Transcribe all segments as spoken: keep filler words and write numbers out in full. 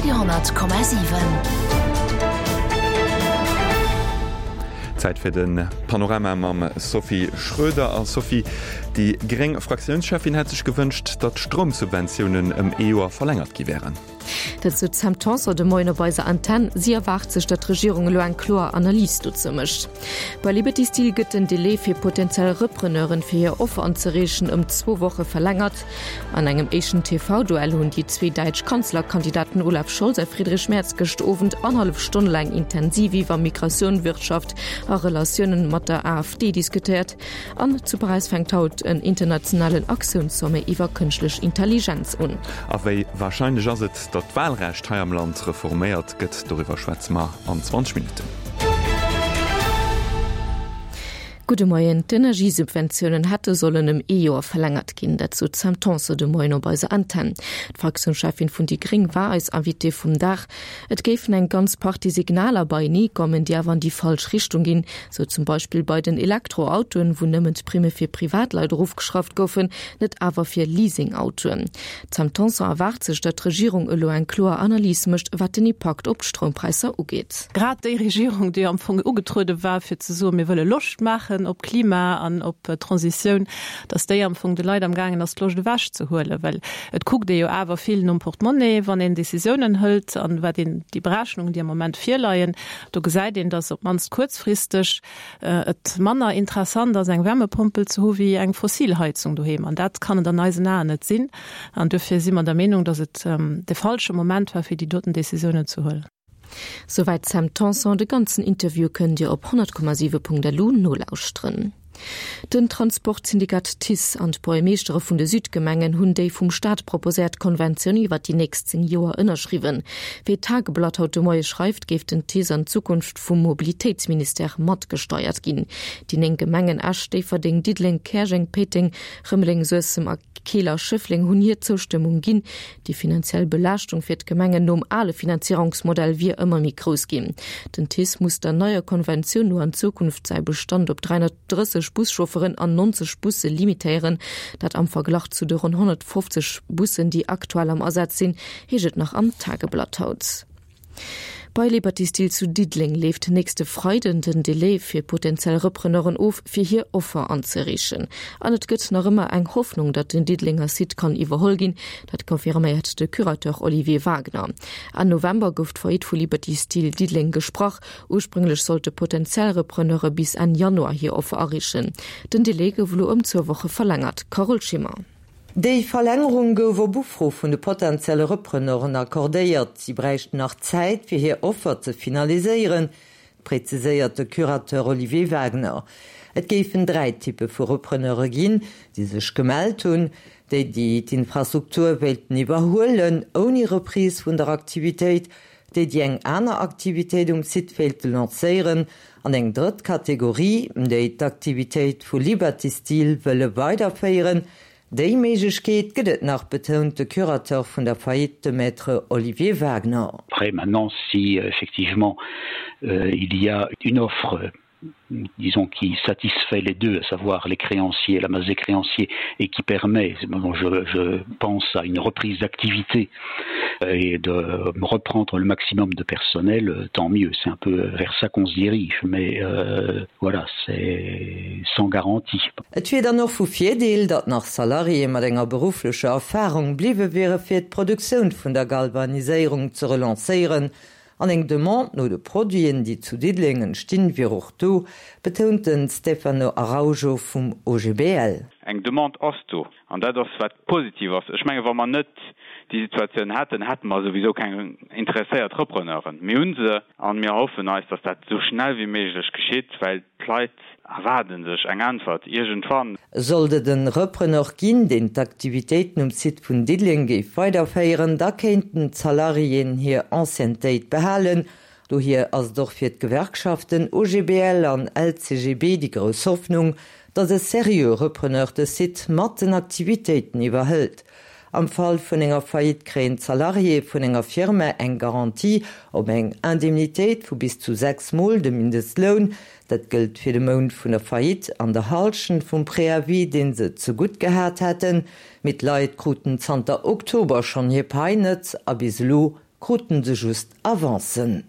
Radio honnert Komma siwen. Zäit fir de Panorama mam Sophie Schröder. A Sophie, déi gréng Fraktiounscheffin hätt sech gewënscht, datt d'Stroumsubventiounen ëm ee Joer verlängert gi wären. Dat sot d'Sam Tanson de Moien op eiser Antenn. Si erwaart sech, datt d'Regierung elo eng kloer Analys dozou mécht. Bei Liberty Steel gëtt den Delai fir potentiell Repreneuren, fir hir Offer anzereechen, ëm zwou Woche verlängert. An engem éischten T V-Duell hunn déi zwee däitsch Kanzlerkandidaten Olaf Scholz a Friedrich Merz gëscht Owend annerhallef Stonn laang intensiv iwwer Migratioun, Wirtschaft a Relatiounen mat der AfD diskutéiert. An zu Paräis fänkt haut en internationalen Aktiounssommet iwwer kënschtlech Intelligenz un. A wéi warscheinlech ass et, datt d'Wahlrecht hei am Land reforméiert gëtt? Doriwwer schwätze mer an zwanzeg Minutten. Gudde Moien. D'Energiesubventiounen hätte sollen ëm ee Joer verlängert ginn. Dat sot d'Sam Tanson de Moien op eiser Antenn. D'Fraktiounscheffin vun déi Gréng war eis Invitée vum Dag. Et géifen eng ganz Partie Signaler beienee kommen, déi awer an déi falsch Richtung ginn. Sou zum Beispill bei den Elektroautoen, wou nëmmen d'Primme fir Privatleit erofgeschrauft goufen, net awer fir Leasingautoen. D'Sam Tanson erwaart sech, datt d'Regierung elo eng kloer Analys mécht, wat den Impakt op d'Stroumpräisser ugeet. Grad déi Regierung, déi am Fong ugetruede war, fir ze soen, mir wëlle Loscht maachen op Klima an op Transitioun, datt déi am Fong de Leit am gaangen ass, d'Loscht ewechzehuelen, well et kuckt ee jo awer vill nom Portemonnaie, wann een Decisiounen hëlt an wat een déi Berechnungen, déi am Moment virleien, do gesäit een, datt op d'mannst kuerzfristeg et manner interessant ass, eng Wärmepompel ze hu wéi eng Fossilheizung doheem. An dat kann et an eisen Aen net sinn. An duerfir si mer der Meenung, datt et de falsche Moment war, fir déi doten Decisiounen ze huelen. Souwäit Sam Tanson. De ganzen Interview kënnt Dir op honnert Komma siwe Punkt L U nolauschteren. Den Transportsyndikat TICE an d'Buergermeeschtere vun de Südgemengen hunn déi vum Staat proposéiert Konventioun iwwer déi nächst zéng Joer ënnerschriwwen. Wéi d'Tageblatt haut de Moie schreift, géif den TICE an Zukunft vum Mobilitéitsministère matgesteiert ginn. Déi néng Gemengen Esch, Déifferdeng, Diddeleng, Käerjeng, Péiteng, Rëmeleng, Suessem a Keel a Schëffleng hunn hir Zoustëmmung ginn. Déi finanziell Belaaschtung fir d'Gemengen nom ale Finanzierungsmodell wier ëmmer méi grouss ginn. Den TICE muss der neier Konventioun no an Zukunft säi Bestand op dräihunnertdrësseg Buschaufferen an neunzeg Busse limitéieren, dat am Verglach zu de rund honnertfofzeg Bussen, déi aktuell am Asaz sinn, heescht et nach am Tageblatt haut. Bei Liberty Steel zu Diddeleng leeft nächste Freiden den Delai fir potenziell Repreneuren of, fir hir Offer anzereechen. An et gëtt nach ëmmer eng Hoffnung, datt den Diddelenger Site kann iwwerholl ginn, dat confirméiert de Curateur Olivier Wagner. Enn November gouf d'Faillite vu Liberty Steel Diddeleng gesprach. Ursprünglech sollte potenziell Repreneure bis Enn Januar hir Offer areechen. Den Delai gouf elo ëm zwou Woche verlängert. Carole Schimmer. Déi Verlängerung gouf op Ufro vun de potenzielle Repreneuren accordéiert. Si bräichten nach Zäit, fir hir Offer ze finaliséieren, präziséiert de Curateur Olivier Wagner. Et géifen dräi Typpe vu Repreneure ginn, déi sech gemellt hunn, déi déi d'Infrastruktur wéilten iwwerhuelen, ouni Reprise vun der Aktivitéit, déi déi eng aner Aktivitéit um Site wéilte lancéieren, an eng drëtt Kategorie, déi d'Aktivitéit vu Liberty Steel wëlle weiderféieren. Déi Méiglechkeet gëtt et nach, betount de Curateur vun der Faillite, de Maître Olivier Wagner. Après, maintenant, si effectivement, euh, il y a une offre, disons, qui satisfait les deux, à savoir les créanciers, la masse des créanciers, et qui permet, bon, je, je pense à une reprise d'activité et de reprendre le maximum de personnel, tant mieux. C'est un peu vers ça qu'on se dirige, mais, euh, voilà, c'est sans garantie. Et wier dann och vu Virdeel, datt nach Salariéë mat enger berufflecher Erfarung bliwwe wiere fir d'Produktioun vun der Galvaniséierung ze relancéieren. An eng Demande no de Produiten, déi zu Diddeleng entstinn, wier och do, betount den Stefano Araujo vum O G B L. Eng Demande ass do, an dat ass wat positiv ass. Ech menge, wa mer net déi Situatioun hätten, hätte mer souwisou keng interesséiert Repreneuren. Mir hunn se an mir hoffen eis, datt dat sou schnell wéi méiglech geschitt, well d'Leit erwaarden sech eng Äntwert iergendwann. Sollt et en Repreneur ginn, deen d'Aktivitéiten um Site vun Diddeleng géif weiderféieren, da kéinten d'Salariéen hir Anciennetéit behalen. Dohier ass et och fir d'Gewerkschaften O G B L an L C G B déi grouss Hoffnung, datt e serieux Repreneur de Site mat den Aktivitéiten iwwerhëlt. Am Fall vun enger Faillite kréien d'Salariéë vun enger Firma eng Garantie op eng Indemnitéit vu bis zu sechs Mol de Mindestloun. Dat gëllt fir de Mount vun der Faillite an der Hallschent vum Préavis, deen se zegutt gehat hätten. Mee d'Leit kruten zanter Oktober schonn hir Pai net a bis elo kruten se just Avancen.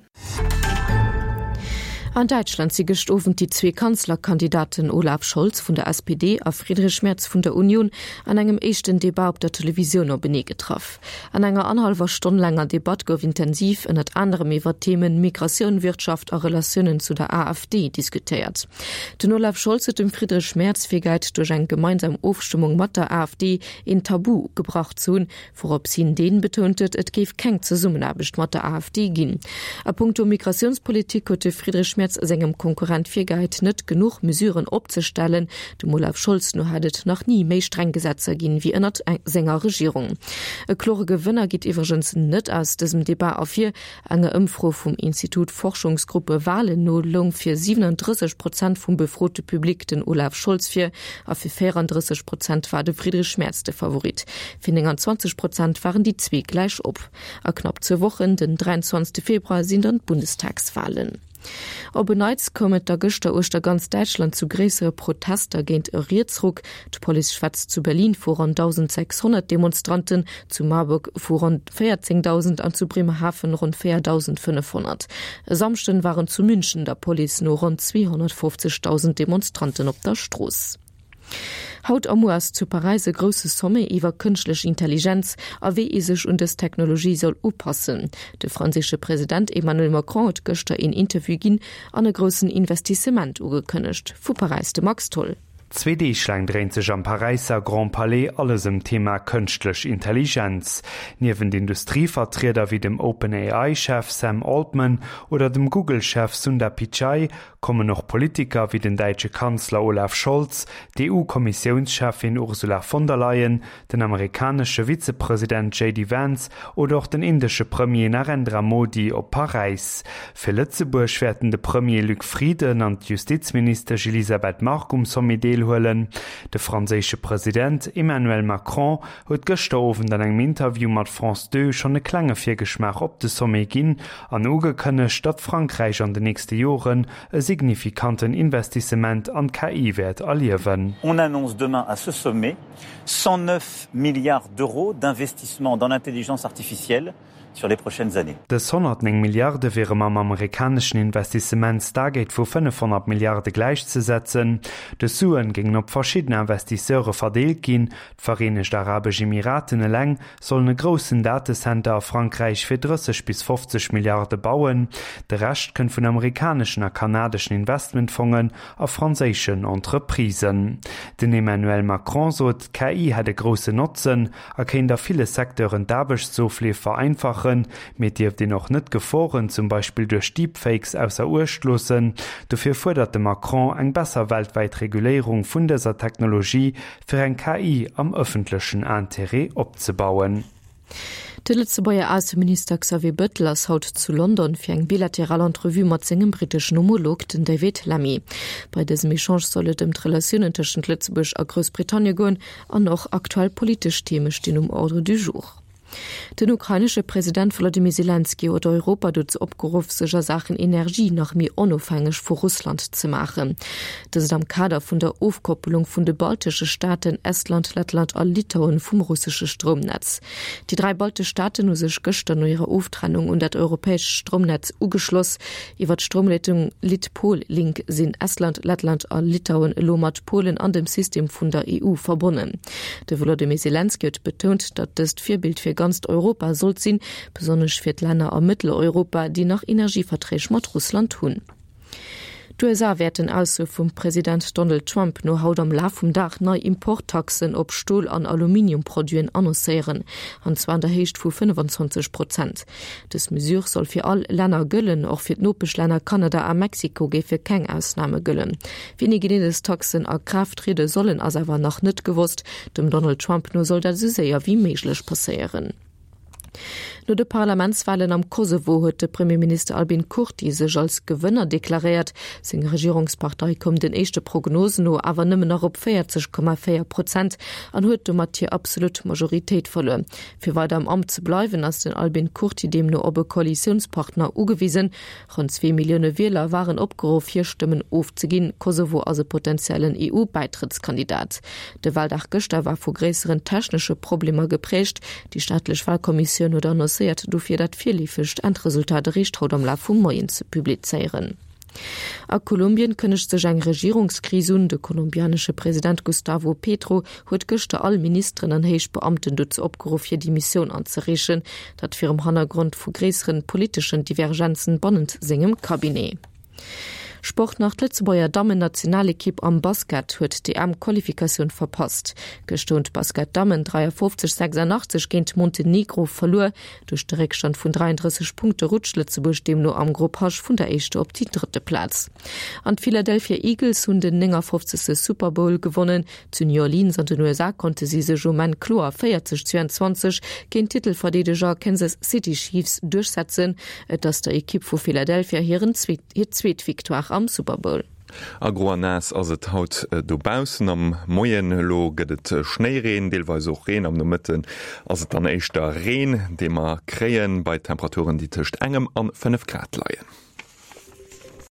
An Däitschland si gëscht Owend déi zwee Kanzlerkandidaten Olaf Scholz vun der S P D a Friedrich Merz vun der Union an engem éischten Debat op der Televisioun openee getraff. An enger annerhallwer Stonn laanger Debatt gouf intensiv ënnert anerem iwwer d'Themen Migratioun, Wirtschaft a Relatiounen zu der A F D diskutéiert. Den Olaf Scholz huet dem Friedrich Merz virgehäit, duerch eng gemeinsam Ofstëmmung mat der A F D een Tabu gebrach ze hunn, wourops hin deen betount huet, et géif keng Zesummenaarbecht mat der A F D ginn. A puncto Migratiounspolitik huet de Friedrich Merz sengem Konkurrent virgehäit, net genuch Mesuren opzestellen. Dem Olaf Scholz no hätt et nach ni méi streng Gesetzer ginn, wéi ënnert senger Regierung. E klore Gewënner geet iwwregens net aus dësem Debat ervir. Enger Ëmfro vum Institut Forschungsgruppe Wahlen no loung fir siewenunddrësseg Prozent vum befrote Public den Olaf Scholz vir a fir véierandrësseg Prozent war de Friedrich Merz de Favorit. Fir nénganzwanzeg Prozent waren déi zwee gläich op. A knapp zwou Wochen, den dräianzwanzegste Februar, sinn dann d'Bundestagswahlen. Op en Neits koum et da gëschter uechter ganz Däitschland zu gréissere Protester géint e Rietsruck. D'Police schwätzt zu Berlin vu ronn dausendsechshonnert Demonstranten, zu Marburg vu ronn véierzéngdausend an zu Bremerhaven ronn véierdausendfënnefhonnert. E Samschden waren zu München der Police no ronn zweehonnertfofzegdausend Demonstranten op der Strooss. Haut a muer ass zu Paräis e grousse Sommet iwwer kënschtlech Intelligenz a wéi ee sech un dës Technologie soll upassen. De franséische President Emmanuel Macron huet gëschter een Interview ginn an e groussen Investissement ugekënnegt. Vu Paräis de Max Tholl. Zwee Deeg laang dréint sech am Paräisser Grand Palais alles ëm d'Thema kënschtlech Intelligenz. Niewent Industrievertrieder wéi dem OpenAI-Chef Sam Altman oder dem Google-Chef Sundar Pichai kommen och Politiker wéi den däitsche Kanzler Olaf Scholz, d'E U-Kommissiounscheffin Ursula von der Leyen, den amerikanesche Vizepresident J D Vance oder och den indesche Premier Narendra Modi op Paräis. Fir Lëtzebuerg wäerten de Premier Luc Frieden an d'Justizministesch Elisabeth Margue um Sommet deelhuelen. De franséische President Emmanuel Macron huet gëschter Owend an engem Interview mat France deux schonn e klenge Virgeschmaach op de Sommet ginn an ugekënnegt, datt Frankräich an den nächste Joren e signifikanten Investissement an d'K I wäert erliewen. On annonce demain à ce sommet cent neuf milliards d'euros d'investissement dans l'intelligence artificielle sur les prochaines années. Dës honnertnéng Milliarde wiere mam amerikaneschen Investissement Stargate vu fënnefhonnert Milliarde gläichzesetzen. Dës Suen géingen op verschidden Investisseure verdeelt ginn. D'Vereenegt Arabesch Emiraten eleng sollen e groussen Datecenter a Frankräich fir drësseg bis fofzeg Milliarde bauen. De Rescht kënnt vun amerikaneschen a kanadeschen Investmentfongen a franséischen Entreprisen. Den Emmanuel Macron sot, d'K I hätt e groussen Notzen a kéint a ville Secteuren d'Aarbechtsofleef vereinfachen, mee dierft een och net Geforen, zum Beispill duerch Deepfakes ausser Uecht loossen. Dofir fuerdert de Macron eng besser weltwäit Reguléierung vun dëser Technologie fir eng K I am ëffentlechen Interêt opzebauen. De Lëtzebuerger Ausseminister Xavier Bettel ass haut zu London fir eng bilateral Entrevue mat sengem britteschen Homolog, den David Lammy. Bei dësem Echange soll et ëm d'Relatiounen tëschent Lëtzebuerg a Groussbritannie goen an och aktuell politesch Theme stinn um Ordre du jour. Den ukrainesche President Volodymyr Zelensky huet Europa dozou opgeruff, sech a Saachen Energie nach méi onofhängeg vu Russland ze maachen. Dëst am Kader vun der Ofkoppelung vun de baltesche Staaten Estland, Lettland a Litauen vum russesche Stroumnetz. Déi dräi baltesch Staaten hu sech gëschter no hirer Oftrennung un dat europäescht Stroumnetz ugeschloss. Iwwer d'Stroumleitung Litpol-Link sinn Estland, Lettland a Litauen elo mat Polen an dem System vun der E U verbonnen. De Volodymyr Zelensky huet betount, datt dëst Virbild fir ganz Europa sollt sinn, besonnesch fir d'Länner a Mëtteleuropa, déi nach Energieverträg mat Russland hunn. D'U S A wäerten Ausso vum President Donald Trump no haut am Laf vum Dag nei Importtaxen op Stol- an Aluminiumproduiten annoncéieren, an zwar an der Héicht vu fënnefanzwanzeg Prozent. Dës Mesure soll fir all Länner gëllen, och fir d'Nopeschlänner Kanada a Mexiko géife keng Ausname gëllen. Wéini genee dës Taxen a Kraaft triede sollen, ass awer nach net gewosst. Dem Donald Trump no soll dat esou séier wéi méiglech passéieren. No de Parlamentswahlen am Kosovo huet de Premierminister Albin Kurti sech als Gewënner deklaréiert. Seng Regierungspartei koum den éischte Prognosen no awer nëmmen nach op véierzeg Komma véier Prozent an huet domat hir absolut Majoritéit verluer. Fir weider am Amt ze bleiwen, ass den Albin Kurti deemno op e Koalitiounspartner ugewisen. Rund zwee Millioune Wieler waren opgeruff, hir Stëmmen ofzeginn. Kosovo ass e potenziellen E U-Bäitrëttskandidat. De Wahldag gëschter war vu gréisseren technesche Problemer geprägt. Déi staatlech Wahlkommissioun huet annoncéiert, annoncéiert dofir dat virleefegt Endresultat eréischt haut am Laf vum Moien ze publizéieren. A Kolumbien kënnegt sech eng Regierungskris un. De kolumbianesche President Gustavo Petro huet gëschter all Ministeren an héich Beamten dozou opgeruff hir Demissioun anzereechen, dat virum Hannergrond vu gréisseren politeschen Divergenzen bannent sengem Cabinet. Sport nach, D'Lëtzebuerger Dammen-Nationalekipp am Basket huet d'EM-Qualifikatioun verpasst. Gëschter hunn d'Basket-Dammen dräiafofzeg sechsundachtzeg géint Montenegro verluer. Duerch de Réckstand vun dräiandrësseg Punkte rutscht Lëtzebuerg deemno am Grupp H vun der éischter op déi drëtte Plaz. An d'Philadelphia Eagles hunn den néngafofzegste Super Bowl gewonnen. Zu New Orleans an den U S A konnte si sech um Enn kloer véierzeg zweiundzwanzeg géint d'Titelverdeedeger Kansas City Chiefs duerchsetzen. Et ass der Ekipp vu Philadelphia hiren zweet hir zweet Victoire am Super Bowl. A gro an naass ass et haut dobaussen. Am Moien elo gëtt et Schnéireen, deelweis och Reen. Am Nomëtten ass et dann éischter Reen, dee mer kréien, bei Temperaturen, déi tëscht engem an fënnef Grad leien.